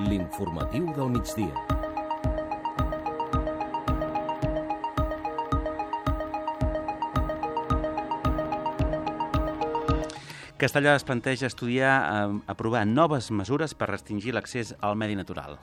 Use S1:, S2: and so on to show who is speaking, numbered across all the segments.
S1: L'informatiu del migdia.
S2: Castellà es planteja aprovar noves mesures per restringir l'accés al medi natural.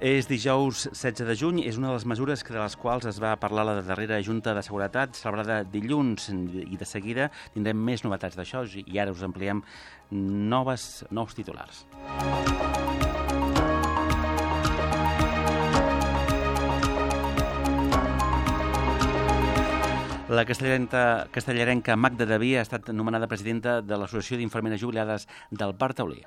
S2: És dijous 16 de juny, és una de les mesures de les quals es va parlar a la darrera Junta de Seguretat celebrada dilluns, i de seguida tindrem més novetats d'això i ara us ampliem nous titulars. La castellarenca Magda Daví ha estat nomenada presidenta de l'Associació d'Infermeres Jubilades del Parc Taulí.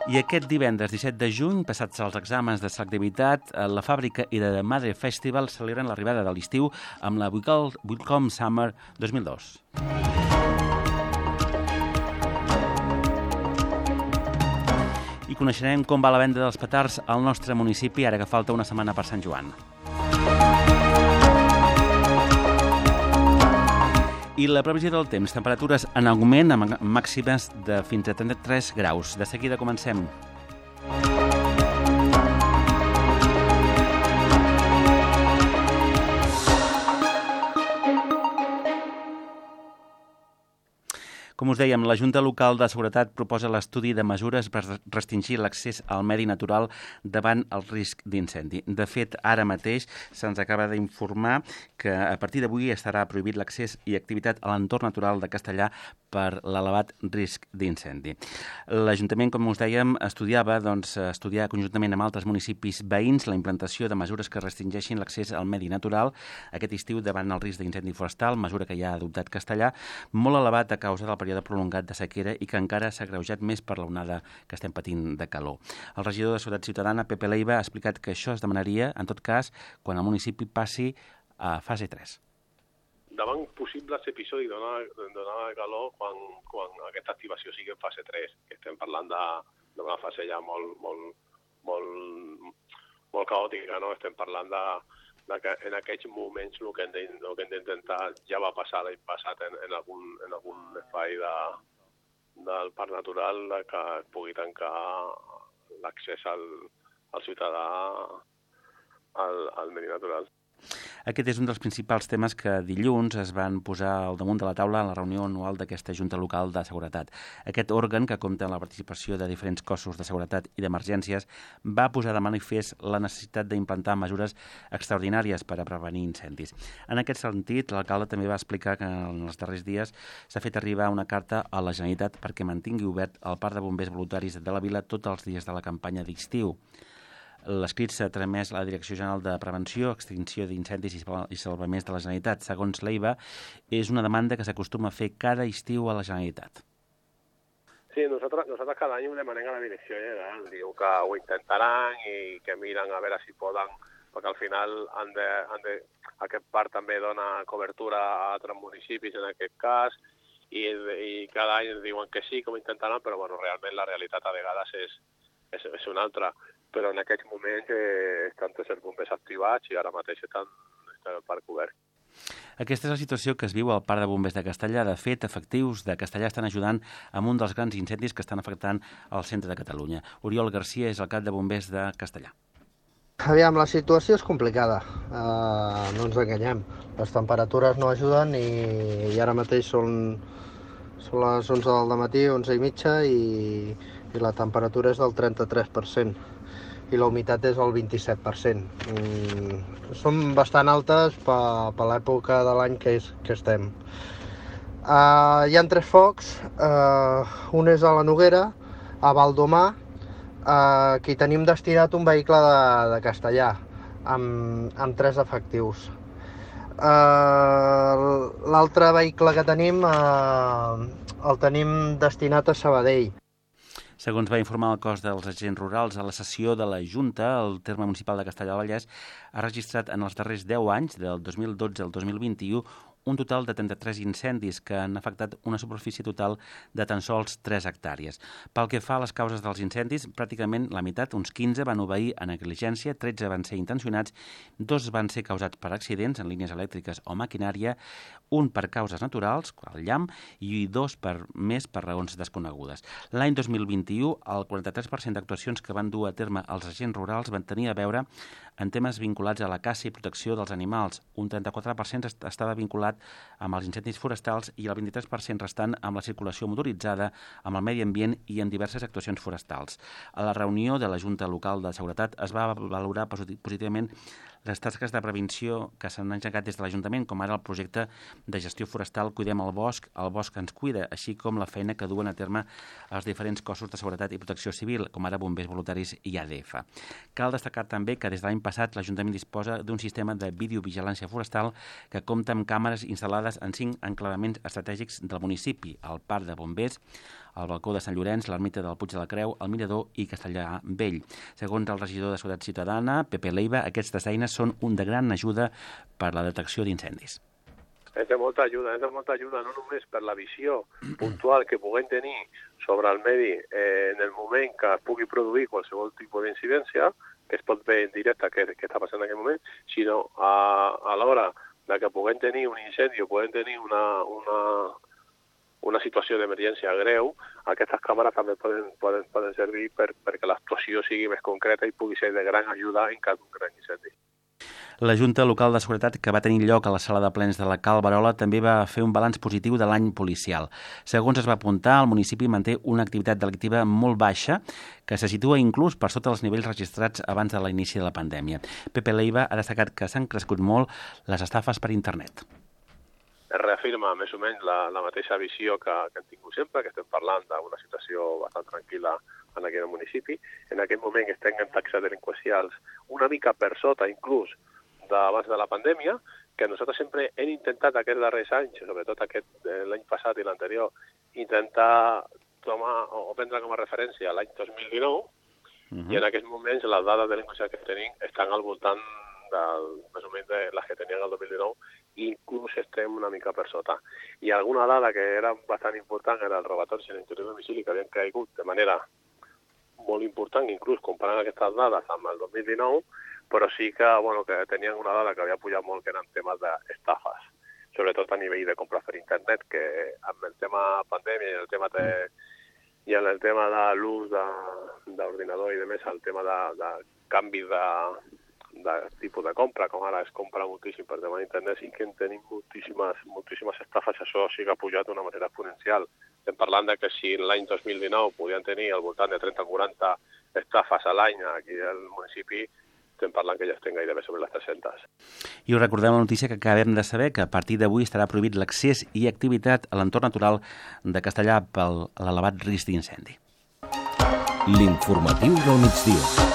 S2: I aquest divendres 17 de juny, passats els exàmens de selectivitat, la Fàbrica i de Madre Festival celebren l'arribada de l'estiu amb la Welcome Summer 2002. I coneixerem com va la venda dels petards al nostre municipi ara que falta una setmana per Sant Joan. I la previsió del temps, temperatures en augment amb màximes de fins a 33 graus. De seguida comencem. Com us dèiem, la Junta Local de Seguretat proposa l'estudi de mesures per restringir l'accés al medi natural davant el risc d'incendi. De fet, ara mateix se'ns acaba d'informar que a partir d'avui estarà prohibit l'accés i activitat a l'entorn natural de Castellà per l'elevat risc d'incendi. L'Ajuntament, com us dèiem, estudiar conjuntament amb altres municipis veïns la implantació de mesures que restringeixin l'accés al medi natural aquest estiu davant el risc d'incendi forestal, mesura que ja ha adoptat Castellà, molt elevat a causa del període prolongat de sequera i que encara s'ha agreujat més per l'onada que estem patint de calor. El regidor de Seguretat Ciutadana, Pepe Leiva, ha explicat que això es demanaria, en tot cas, quan el municipi passi a fase 3.
S3: Davant possibles episodis d'onada de calor quan aquesta activació sigui en fase 3, que estem parlant d'una fase ja molt caòtica, no? Estem parlant de que en aquests moments el que hem d'intentar ja va passar l'any passat en algun espai del parc natural que pugui tancar l'accés al ciutadà al medi natural.
S2: Aquest és un dels principals temes que dilluns es van posar al damunt de la taula en la reunió anual d'aquesta Junta Local de Seguretat. Aquest òrgan, que compta amb la participació de diferents cossos de seguretat i d'emergències, va posar de manifest la necessitat d'implantar mesures extraordinàries per a prevenir incendis. En aquest sentit, l'alcalde també va explicar que en els darrers dies s'ha fet arribar una carta a la Generalitat perquè mantingui obert el parc de bombers voluntaris de la vila tots els dies de la campanya d'estiu. L'escrit s'ha tramès a la Direcció General de Prevenció, Extinció d'Incendis i Salvaments de la Generalitat. Segons Leiva, és una demanda que s'acostuma a fer cada estiu a la Generalitat.
S3: Sí, nosaltres cada any ho demanem a la Direcció General. Diu que ho intentaran i que miren a veure si poden, perquè al final aquest parc també dona cobertura a altres municipis en aquest cas, i cada any diuen que sí, que ho intentaran, però bueno, realment la realitat a vegades és una altra. Però en aquests moments estan tots els bombers activats i ara mateix està el parc obert.
S2: Aquesta és la situació que es viu al Parc de Bombers de Castellà. De fet, efectius de Castellà estan ajudant amb un dels grans incendis que estan afectant al centre de Catalunya. Oriol Garcia és el cap de Bombers de Castellà.
S4: Aviam, la situació és complicada, no ens enganyem. Les temperatures no ajuden i ara mateix són les 11 del matí, 11 i mitja, i la temperatura és del 33%. I la humitat és el 27%. Són bastant altes per l'època de l'any que estem. Hi ha 3 focs, un és a la Noguera, a Valdomar, que hi tenim destinat un vehicle de Castellà, amb 3 efectius. L'altre vehicle que tenim el tenim destinat a Sabadell.
S2: Segons va informar el cos dels agents rurals a la sessió de la Junta, el terme municipal de Castellar del Vallès ha registrat en els darrers 10 anys, del 2012 al 2021, un total de 33 incendis que han afectat una superfície total de tan sols 3 hectàrees. Pel que fa a les causes dels incendis, pràcticament la meitat, uns 15, van obeir a negligència, 13 van ser intencionats, 2 van ser causats per accidents en línies elèctriques o maquinària, un per causes naturals, el llamp, i 2 més per raons desconegudes. L'any 2021, el 43% d'actuacions que van dur a terme els agents rurals van tenir a veure en temes vinculats a la caça i protecció dels animals. Un 34% estava vinculat amb els incendis forestals i el 23% restant amb la circulació motoritzada, amb el medi ambient i en diverses actuacions forestals. A la reunió de la Junta Local de Seguretat es va valorar positivament les tasques de prevenció que s'han engegat des de l'Ajuntament, com ara el projecte de gestió forestal Cuidem el bosc ens cuida, així com la feina que duen a terme els diferents cossos de seguretat i protecció civil, com ara bombers voluntaris i ADF. Cal destacar també que des de l'any passat l'Ajuntament disposa d'un sistema de videovigilància forestal que compta amb càmeres instal·lades en 5 enclavaments estratègics del municipi, el Parc de Bombers, el balcó de Sant Llorenç, l'ermita del Puig de la Creu, el Mirador i Castellà Vell. Segons el regidor de Seguretat Ciutadana, Pepe Leiva, aquestes eines són de gran ajuda per la detecció d'incendis.
S3: És de molta ajuda no només per la visió puntual que puguem tenir sobre el medi en el moment que es pugui produir qualsevol tipus d'incidència, que es pot veure en directe què està passant en aquest moment, sinó a l'hora que puguem tenir un incendi o puguem tenir una situació d'emergència greu, aquestes càmeres també poden servir perquè l'actuació sigui més concreta i pugui ser de gran ajuda en cas d'un gran incendi.
S2: La Junta Local de Seguretat, que va tenir lloc a la sala de plens de la Cal Barola, també va fer un balanç positiu de l'any policial. Segons es va apuntar, el municipi manté una activitat delictiva molt baixa, que se situa inclús per sota dels nivells registrats abans de l'inici de la pandèmia. Pepe Leiva ha destacat que s'han crescut molt les estafes per internet.
S3: Es reafirma més o menys la mateixa visió que hem tingut sempre, que estem parlant d'una situació bastant tranquil·la en aquest municipi. En aquest moment estem en taxes delinqüencials una mica per sota, inclús, d'abans de la pandèmia, que nosaltres sempre hem intentat aquests darrers anys, sobretot l'any passat i l'anterior, intentar tomar o prendre com a referència l'any 2019, i en aquests moments les dades delinqüencials que tenim estan al voltant més o menys de les que tenien el 2019, i inclús estem una mica per sota. I alguna dada que era bastant important era el robatoris en l'interior de domicili, que havien caigut de manera molt important, inclús comparant aquestes dades amb el 2019, però sí que tenien una dada que havia pujat molt, que eren temes d'estafes, sobretot a nivell de compra per internet, que amb el tema pandèmia i en el tema de l'ús d'ordinador i de més, el tema de canvi de tipus de compra, com ara es compra moltíssim per tema d'internet, sí que en tenim moltíssimes estafes, això sí que ha pujat d'una manera exponencial. Estem parlant de que si l'any 2019 podien tenir al voltant de 30-40 estafes a l'any aquí al municipi, estem parlant que ja estem gairebé sobre les 300.
S2: I us recordem la notícia que acabem de saber, que a partir d'avui estarà prohibit l'accés i activitat a l'entorn natural de Castellà per l'elevat risc d'incendi.
S1: L'informatiu del migdia.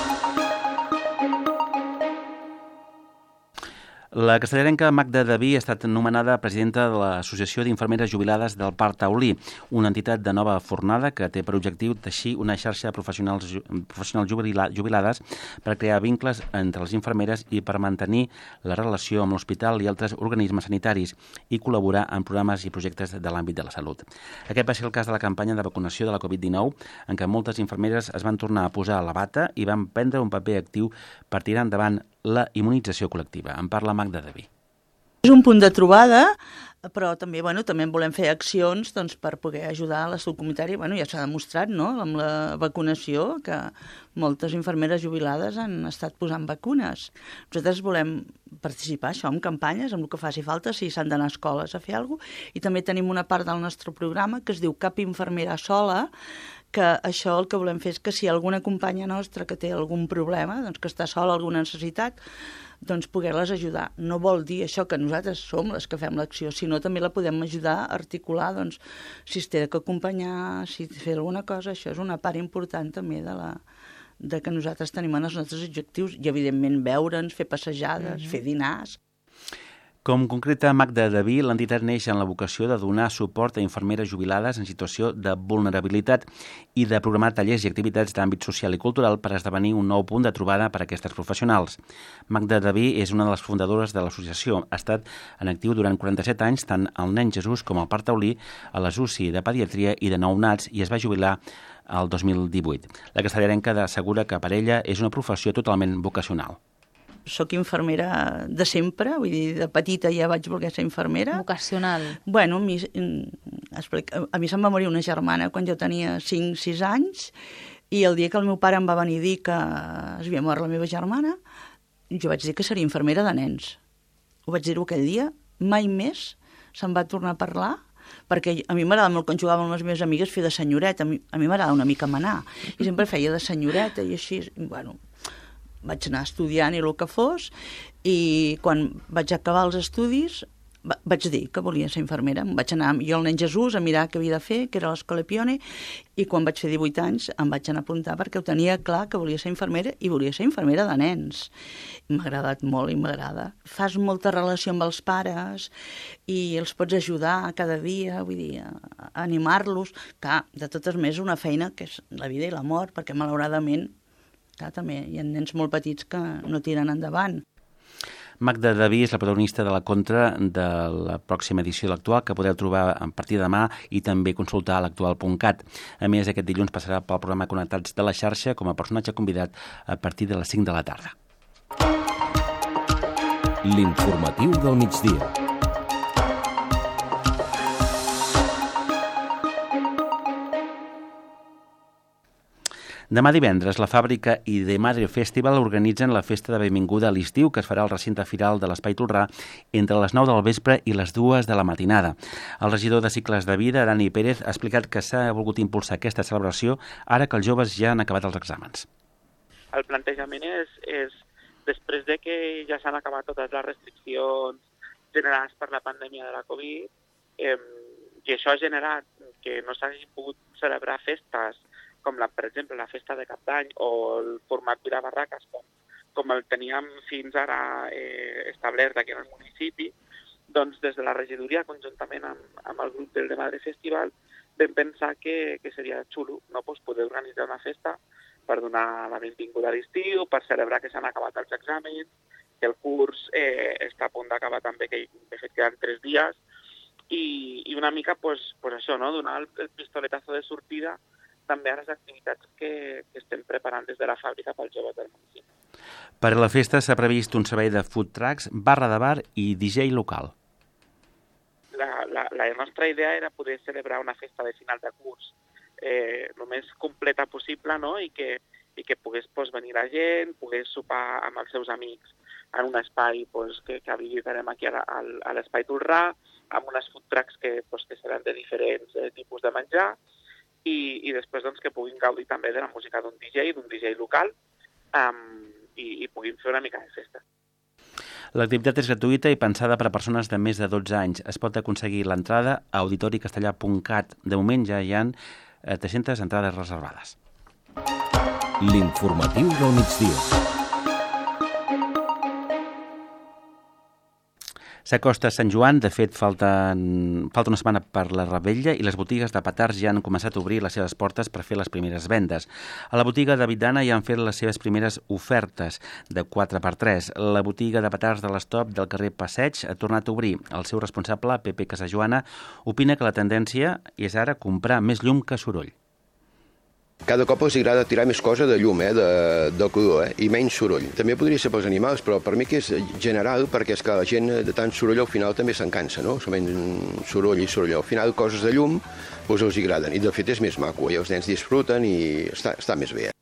S2: La castellarenca Magda Daví ha estat nomenada presidenta de l'Associació d'Infermeres Jubilades del Parc Taulí, una entitat de nova fornada que té per objectiu teixir una xarxa de professionals jubilades per crear vincles entre les infermeres i per mantenir la relació amb l'hospital i altres organismes sanitaris i col·laborar en programes i projectes de l'àmbit de la salut. Aquest va ser el cas de la campanya de vacunació de la Covid-19, en què moltes infermeres es van tornar a posar la bata i van prendre un paper actiu per tirar endavant la immunització col·lectiva. En parla Magda Daví.
S5: És un punt de trobada, però també, també volem fer accions per poder ajudar a la salut comunitària. Ja s'ha demostrat, amb la vacunació, que moltes infermeres jubilades han estat posant vacunes. Nosaltres volem participar això en campanyes, amb el que faci falta, si s'han d'anar a escoles a fer alguna cosa. I també tenim una part del nostre programa que es diu Cap infermera sola, que això el que volem fer és que si alguna companya nostra que té algun problema, que està sola, alguna necessitat, poder-les ajudar. No vol dir això que nosaltres som les que fem l'acció, sinó també la podem ajudar a articular, si es té que acompanyar, si fer alguna cosa. Això és una part important també de que nosaltres tenim en els nostres objectius i, evidentment, veure'ns, fer passejades, fer dinars.
S2: Com concreta Magda Daví, l'entitat neix en la vocació de donar suport a infermeres jubilades en situació de vulnerabilitat i de programar tallers i activitats d'àmbit social i cultural per esdevenir un nou punt de trobada per a aquestes professionals. Magda Daví és una de les fundadores de l'associació. Ha estat en actiu durant 47 anys tant al Nen Jesús com al Parc Taulí, a les UCI de pediatria i de nounats, i es va jubilar el 2018. La castellarenca assegura que per ella és una professió totalment vocacional.
S5: Soc infermera de sempre, vull dir, de petita ja vaig voler ser infermera.
S6: Vocacional.
S5: Bueno, a mi se'm va morir una germana quan jo tenia 5-6 anys, i el dia que el meu pare em va venir a dir que es havia mort la meva germana, jo vaig dir que seria infermera de nens. Ho vaig dir-ho aquell dia, mai més se'n va tornar a parlar, perquè a mi m'agrada molt, quan jugava amb les meves amigues, fer de senyoreta. A mi m'agrada una mica manar, i sempre feia de senyoreta i així. Bueno, vaig anar estudiant i el que fos, i quan vaig acabar els estudis vaig dir que volia ser infermera. Vaig anar jo al Nen Jesús a mirar què havia de fer, que era l'Escola Pione, i quan vaig fer 18 anys em vaig anar a apuntar perquè ho tenia clar que volia ser infermera, i volia ser infermera de nens. M'ha agradat molt i m'agrada. Fas molta relació amb els pares i els pots ajudar cada dia, vull dir, a animar-los. Clar, de totes maneres, una feina que és la vida i la mort, perquè malauradament clar, també hi ha nens molt petits que no tiren endavant.
S2: Magda Daví és la protagonista de la contra de la pròxima edició de l'Actual, que podeu trobar a partir de demà i també consultar a l'actual.cat. A més, aquest dilluns passarà pel programa Connectats de la xarxa com a personatge convidat a partir de les 5 de la tarda.
S1: L'informatiu del migdia.
S2: Demà divendres, la Fàbrica i The Madre Festival organitzen la festa de benvinguda a l'estiu, que es farà al recinte firal de l'Espai Tolrà entre les 9 del vespre i les 2 de la matinada. El regidor de Cicles de Vida, Dani Pérez, ha explicat que s'ha volgut impulsar aquesta celebració ara que els joves ja han acabat els exàmens.
S7: El plantejament és després de que ja s'han acabat totes les restriccions generades per la pandèmia de la Covid, i això ha generat que no s'hagin pogut celebrar festes com per exemple la festa de Cap d'Any o el format Vila Barraques, com el teníem fins ara establert aquí en el municipi, doncs des de la regidoria, conjuntament amb el grup del The Madre Festival, vam pensar que seria xulo, no, poder organitzar una festa per donar la benvinguda a l'estiu, per celebrar que s'han acabat els exàmens, que el curs està a punt d'acabar també, que de fet queden 3 dies, i una mica això, no? Donar el pistoletazo de sortida també a les activitats que estem preparant des de la fàbrica pels joves del municipi.
S2: Per a la festa s'ha previst un servei de food trucks, barra de bar i DJ local.
S7: La nostra idea era poder celebrar una festa de final de curs el més completa possible, no? I que pogués venir la gent, pogués sopar amb els seus amics en un espai que habilitarem aquí a l'Espai Tolrà, amb unes food trucks que seran de diferents tipus de menjar, i després que puguin gaudir també de la música d'un DJ local, i puguin fer una mica de festa.
S2: L'activitat és gratuïta i pensada per a persones de més de 12 anys. Es pot aconseguir l'entrada a auditoricastellà.cat. De moment ja hi ha 300 entrades reservades.
S1: L'informatiu del migdia.
S2: S'acosta Sant Joan, de fet falta una setmana per la Revetlla i les botigues de petards ja han començat a obrir les seves portes per fer les primeres vendes. A la botiga de Vidana ja han fet les seves primeres ofertes de 4x3. La botiga de petards de l'Estop del carrer Passeig ha tornat a obrir. El seu responsable, Pepe Casajoana, opina que la tendència és ara comprar més llum que soroll.
S8: Cada cop els agrada tirar més cosa de llum, de color, i menys soroll. També podria ser pels animals, però per mi que és general, perquè és que la gent de tant soroll al final també se'n cansa, no? Solament soroll i soroll. Al final coses de llum els agraden, i de fet és més maco, i els nens disfruten i està més bé.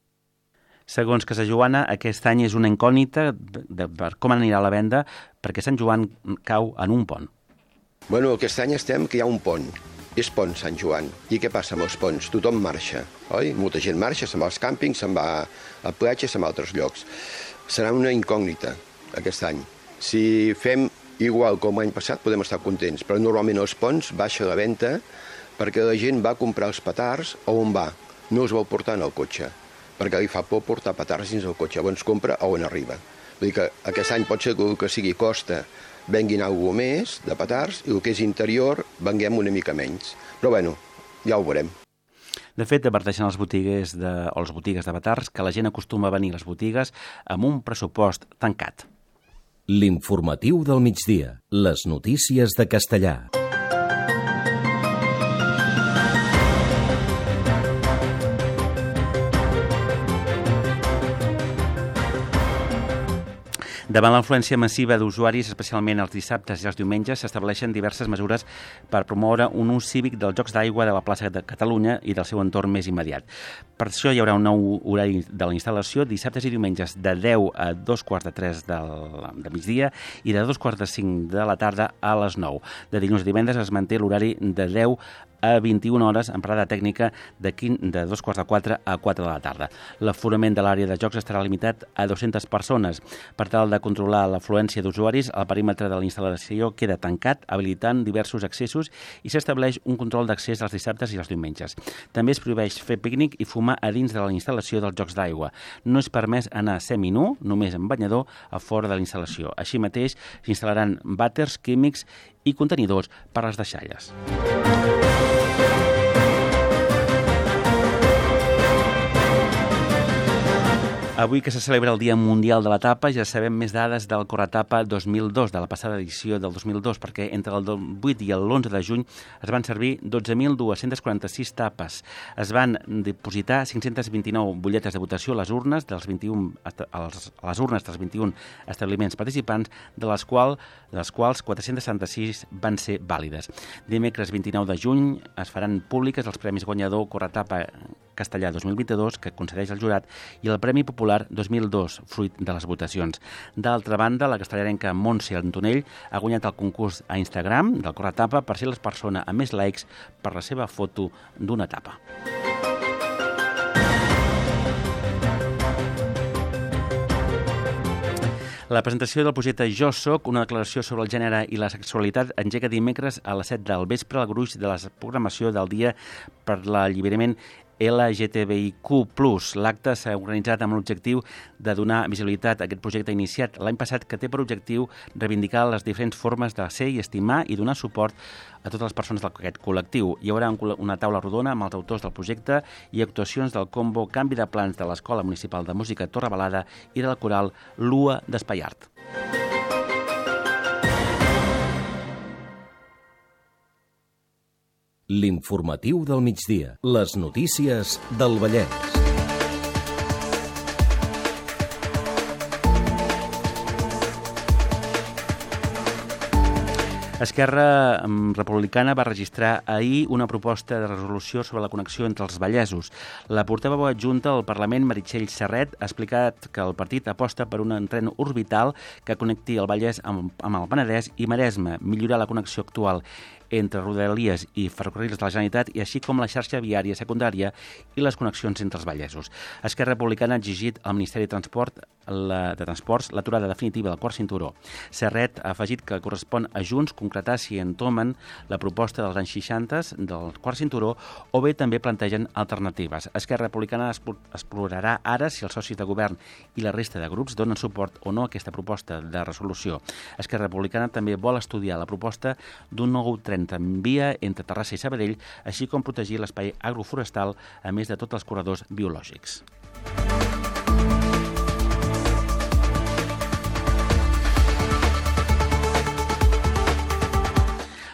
S2: Segons Casajoana, aquest any és una incògnita per com anirà la venda, perquè Sant Joan cau en un pont.
S8: Bueno, aquest any estem que hi ha un pont. És pont Sant Joan. I què passa amb els ponts? Tothom marxa, oi? Molta gent marxa, se'n va als càmpings, se'n va a platges, se'n va a altres llocs. Serà una incògnita aquest any. Si fem igual com l'any passat podem estar contents, però normalment els ponts baixa la venda perquè la gent va comprar els petards a on va, no els vol portar en el cotxe, perquè li fa por portar petards dins el cotxe, llavors compra a on arriba. Vull dir que aquest any pot ser que el que sigui costa venguin algú més de petards i el que és interior venguem una mica menys. Però bueno, ja ho veurem.
S2: De fet, adverteixen les botigues de petards que la gent acostuma a venir a les botigues amb un pressupost tancat.
S1: L'informatiu del migdia. Les notícies de Castellà.
S2: Davant l'afluència massiva d'usuaris, especialment els dissabtes i els diumenges, s'estableixen diverses mesures per promoure un ús cívic dels jocs d'aigua de la plaça de Catalunya i del seu entorn més immediat. Per això hi haurà un nou horari de la instal·lació dissabtes i diumenges de 10 a 2:45 de migdia i de 2:45 de la tarda a les 9. De dilluns a divendres es manté l'horari de 10 a 21 hores en parada tècnica de 2:45 a 4 de la tarda. L'aforament de l'àrea de jocs estarà limitat a 200 persones. Per tal de controlar l'afluència d'usuaris, el perímetre de la instal·lació queda tancat, habilitant diversos accessos i s'estableix un control d'accés els dissabtes i els diumenges. També es prohibeix fer pícnic i fumar a dins de la instal·lació dels jocs d'aigua. No és permès anar seminu, només amb banyador, a fora de la instal·lació. Així mateix, s'instal·laran vàters químics i contenidors per a les deixalles. Avui que se celebra el Dia Mundial de la Tapa, ja sabem més dades del Corretapa 2002, de la passada edició del 2002, perquè entre el 8 i l'11 de juny es van servir 12.246 tapes. Es van dipositar 529 butlletes de votació a les urnes dels 21 establiments participants, de les quals 476 van ser vàlides. Dimecres 29 de juny es faran públiques els premis guanyador Corretapa Castellà 2022, que concedeix el jurat, i el Premi Popular 2002, fruit de les votacions. D'altra banda, la castellarenca Montse Antonell ha guanyat el concurs a Instagram del Corretapa per ser la persona amb més likes per la seva foto d'una tapa. La presentació del projecte Jo Soc, una declaració sobre el gènere i la sexualitat, engega dimecres a les 7 del vespre al gruix de la programació del Dia per l'Alliberament LGTBIQ+. L'acte s'ha organitzat amb l'objectiu de donar visibilitat a aquest projecte iniciat l'any passat, que té per objectiu reivindicar les diferents formes de ser i estimar i donar suport a totes les persones d'aquest col·lectiu. Hi haurà una taula rodona amb els autors del projecte i actuacions del combo Canvi de Plans de l'Escola Municipal de Música Torrebalada i del coral Lua d'Espaiart.
S1: L'informatiu del migdia. Les notícies del Vallès.
S2: Esquerra Republicana va registrar ahir una proposta de resolució sobre la connexió entre els vallesos. La portaveu adjunta al Parlament, Meritxell Serret, ha explicat que el partit aposta per un tren orbital que connecti el Vallès amb el Penedès i Maresme, millorar la connexió actual entre Rodalies i ferrocarrils de la Generalitat, i així com la xarxa viària secundària i les connexions entre els vallesos. Esquerra Republicana ha exigit al Ministeri de Transports l'aturada definitiva del quart cinturó. Serret ha afegit que correspon a Junts concretar si entomen la proposta dels anys 60 del quart cinturó o bé també plantegen alternatives. Esquerra Republicana explorarà ara si els socis de govern i la resta de grups donen suport o no a aquesta proposta de resolució. Esquerra Republicana també vol estudiar la proposta d'un nou tren tramvia entre Terrassa i Sabadell, així com protegir l'espai agroforestal, a més de tots els corredors biològics.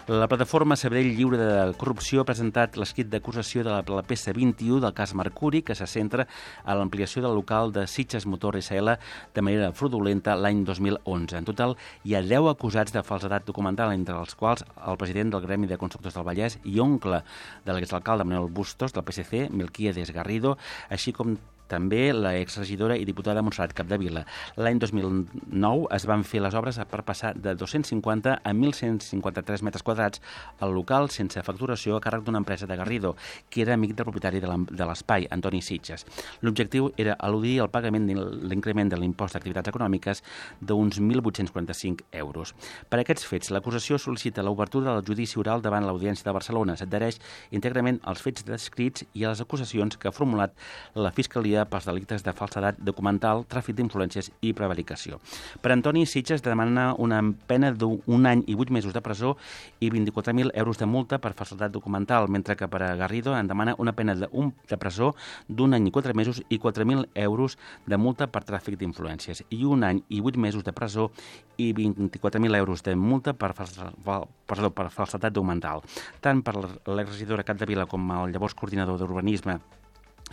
S2: La plataforma Sabadell Lliure de Corrupció ha presentat l'escrit d'acusació de la peça 21 del cas Mercuri, que se centra a l'ampliació del local de Sitges Motor SL de manera fraudulenta l'any 2011. En total, hi ha 10 acusats de falsedat documental, entre els quals el president del Gremi de Constructors del Vallès i oncle de l'exalcalde Manuel Bustos, del PSC, Melquiades Garrido, així com també la exregidora i diputada Montserrat Capdevila. L'any 2009 es van fer les obres per passar de 250 a 1.153 metres quadrats al local sense facturació a càrrec d'una empresa de Garrido, que era amic del propietari de l'espai, Antoni Sitges. L'objectiu era eludir el pagament de l'increment de l'impost d'activitats econòmiques d'uns 1.845 euros. Per aquests fets, l'acusació sol·licita l'obertura del judici oral davant l'Audiència de Barcelona. S'adhereix íntegrament als fets descrits i a les acusacions que ha formulat la Fiscalia custodia pels delictes de falsedat documental, tràfic d'influències i prevaricació. Per Antoni, Sitges demana una pena d'1 any i 8 mesos de presó i 24.000 euros de multa per falsedat documental, mentre que per a Garrido en demana una pena de presó d'1 any i 4 mesos i 4.000 euros de multa per tràfic d'influències i 1 any i 8 mesos de presó i 24.000 euros de multa per falsedat documental. Tant per l'exregidora Capdevila com el llavors coordinador d'Urbanisme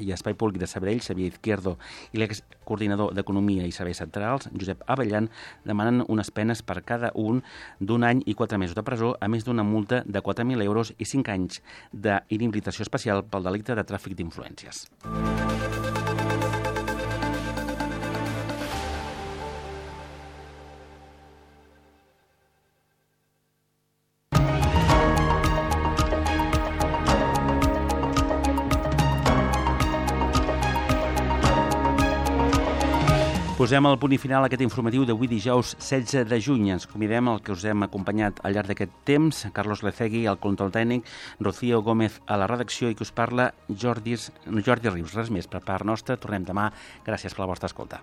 S2: i Espai Públic de Sabadell, Xavier Izquierdo, i l'excoordinador d'Economia i Serveis Centrals, Josep Abellan, demanen unes penes per cada un d'1 any i 4 mesos de presó, a més d'una multa de 4.000 euros i 5 anys d'inhabilitació especial pel delicte de tràfic d'influències. Posem el punt i final a aquest informatiu d'avui dijous 16 de juny. Ens convidem al que us hem acompanyat al llarg d'aquest temps, Carlos Lecegui, al control tècnic, Rocío Gómez a la redacció i que us parla Jordi Rius. Res més per part nostra. Tornem demà. Gràcies per la vostra escolta.